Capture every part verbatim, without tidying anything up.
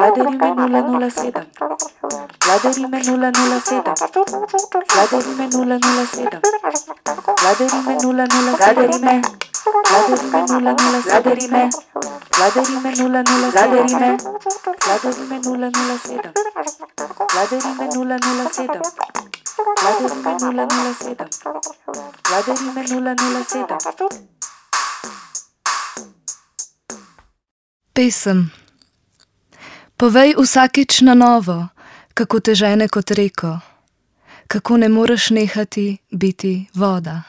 Vladarime nula nula sedem. Vladarime nula nula sedem. Vladarime nula nula sedem. Vladarime nula nula Vladarime. Vladarime nula nula Vladarime. Vladarime nula nula Vladarime. Vladarime nula nula sedem. Vladarime nula nula sedem. Vladarime nula nula sedem. Vladarime nula nula sedem. Pesem. Povej vsakič na novo, kako te žene kot reko, kako ne moreš nehati biti voda.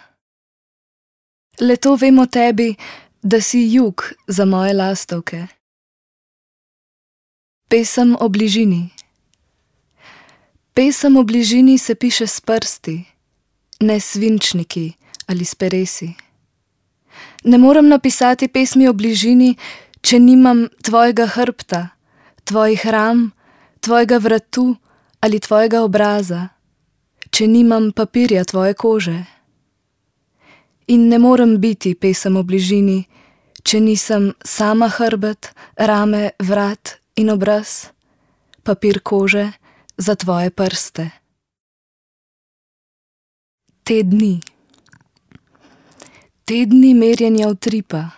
Le to vem o tebi, da si jug za moje lastovke. Pesem o bližini. Pesem o bližini se piše s prsti, ne s svinčniki ali s peresi. Ne morem napisati pesmi o bližini, če nimam tvojega hrbta, tvojih ram, tvojega vratu ali tvojega obraza, če nimam papirja tvoje kože. In ne morem biti pesem o bližini, če nisem sama hrbet, rame, vrat in obraz, papir kože za tvoje prste. Te dni. Te dni merjenja utripa.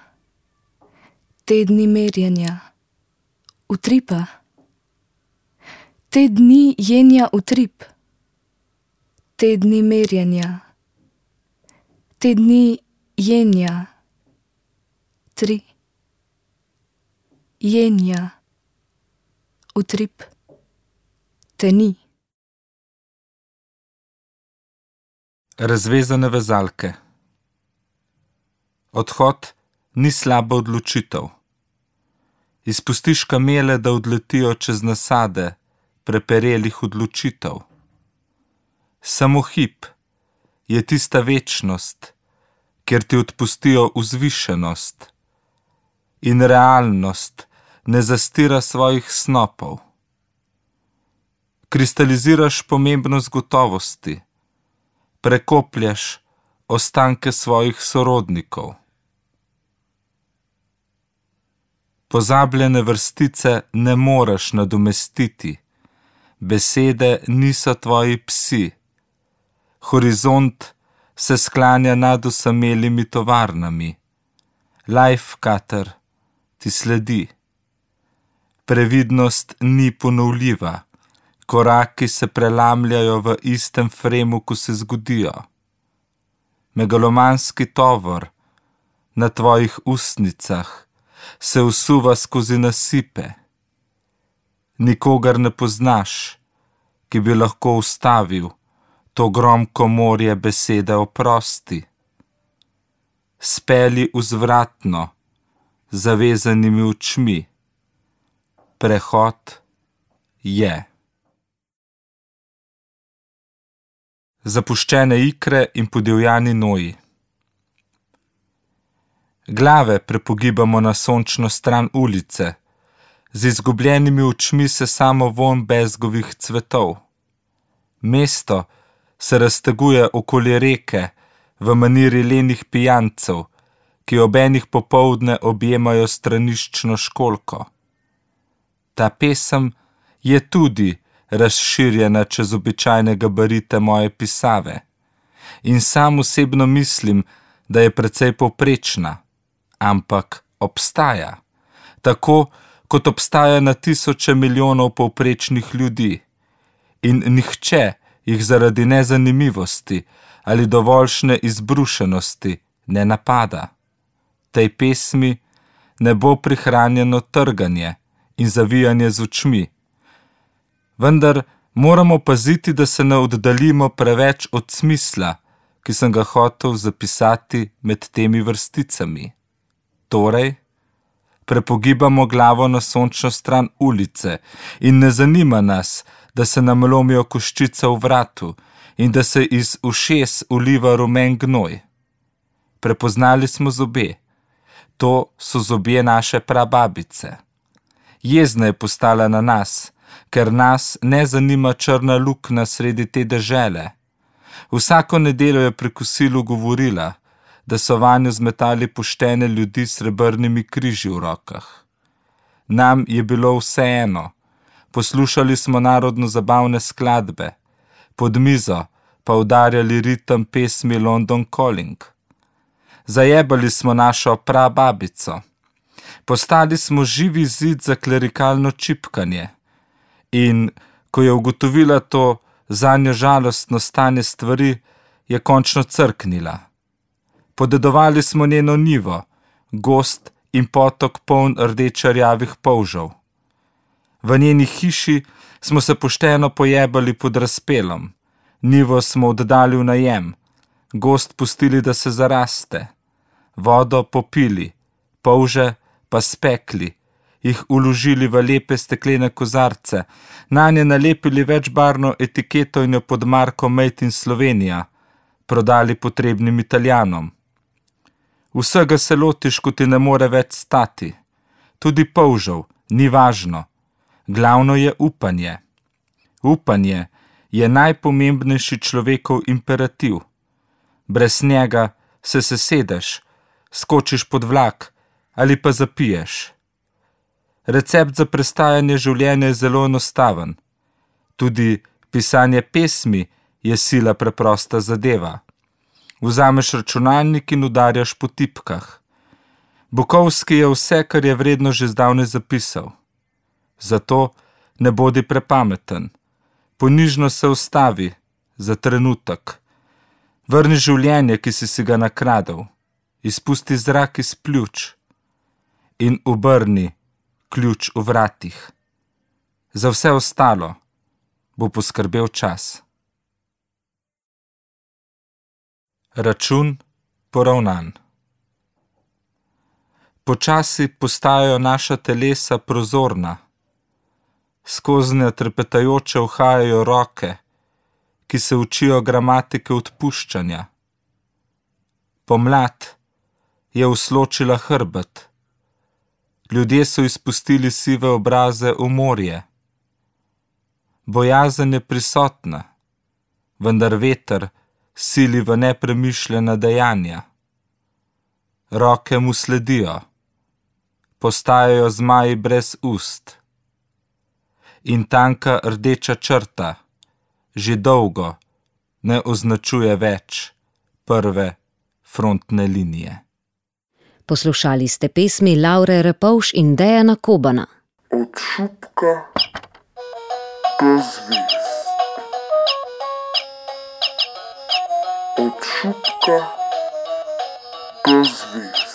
Te dni merjenja utripa. Te dni jenja utrip. Te dni merjenja. Te dni jenja. Tri. Jenja. Utrip. Te ni. Razvezane vezalke. Odhod ni slaba odločitev. Izpustiš kamele, da odletijo čez nasade preperelih odločitev. Samo hip je tista večnost, kjer ti odpustijo vzvišenost in realnost ne zastira svojih snopov. Kristaliziraš pomembnost gotovosti, prekopljaš ostanke svojih sorodnikov. Pozabljene vrstice ne moreš nadomestiti, besede niso tvoji psi, horizont se sklanja nad osamelimi tovarnami, life cutter ti sledi. Previdnost ni ponovljiva, koraki se prelamljajo v istem fremu, ko se zgodijo. Megalomanski tovor na tvojih ustnicah se usuva skozi nasipe. Nikogar ne poznaš, ki bi lahko ustavil to gromko morje besede oprosti. Speli vzvratno, zavezanimi očmi. Prehod je. Zapuščene ikre in podivjani noji. Glave prepogibamo na sončno stran ulice, z izgubljenimi očmi se samo vonj bezgovih cvetov. Mesto se razteguje okoli reke v maniri lenih pijancev, ki ob enih popoldne objemajo straniščno školjko. Ta pesem je tudi razširjena čez običajne gabarite moje pisave in sam osebno mislim, da je precej povprečna, ampak obstaja, tako kot obstaja na tisoče milijonov povprečnih ljudi in nihče jih zaradi nezanimivosti ali dovoljšne izbrušenosti ne napada. Tej pesmi ne bo prihranjeno trganje in zavijanje z očmi, vendar moramo paziti, da se ne oddaljimo preveč od smisla, ki sem ga hotel zapisati med temi vrsticami. Torej, prepogibamo glavo na sončno stran ulice in ne zanima nas, da se nam lomijo koščice v vratu in da se iz ušes uliva rumen gnoj. Prepoznali smo zobe. To so zobje naše prababice. Jezna je postala na nas, ker nas ne zanima črna luknja sredi te dežele. Vsako nedeljo je pri kosilu govorila, da so vanjo zmetali poštene ljudi s srebrnimi križi v rokah. Nam je bilo vseeno, Poslušali smo narodno zabavne skladbe, pod mizo pa udarjali ritem pesmi London Calling. Zajebali smo našo prababico. Postali smo živi zid za klerikalno čipkanje in ko je ugotovila to zanjo žalostno stanje stvari, je končno crknila. Podedovali smo njeno njivo, gozd in potok poln rdečarjavih polžev. V njeni hiši smo se pošteno pojebali pod razpelom, njivo smo oddali v najem, gozd pustili, da se zaraste, vodo popili, polže pa spekli, jih uložili v lepe steklene kozarce, nanje nalepili večbarvno etiketo in jo pod marko Made in Slovenija prodali potrebnim Italijanom. Vsega se lotiš, ko ti ne more več stati. Tudi polžev, ni važno. Glavno je upanje. Upanje je najpomembnejši človekov imperativ. Brez njega se sesedeš, skočiš pod vlak ali pa zapiješ. Recept za prestajanje življenja je zelo enostaven. Tudi pisanje pesmi je sila preprosta zadeva. Vzameš računalnik in udarjaš po tipkah. Bukovski je vse, kar je vredno, že zdavnaj zapisal. Zato ne bodi prepameten. Ponižno se ustavi za trenutek. Vrni življenje, ki si si ga nakradel. Izpusti zrak iz pljuč in obrni ključ v vratih. Za vse ostalo bo poskrbel čas. Račun poravnan. Počasi postajajo naša telesa prozorna. Skoznje trepetajoče uhajajo roke, ki se učijo gramatike odpuščanja. Pomlad je usločila hrbet. Ljudje so izpustili sive obraze v morje. Bojazen je prisotna, vendar veter sili v nepremišljena dejanja. Roke mu sledijo, postajajo zmaji brez ust. In tanka rdeča črta že dolgo ne označuje več prve frontne linije. Poslušali ste pesmi Laure Repovž in Dejana Kobana. Od šupka do zvezd. Od šupka do zvezd.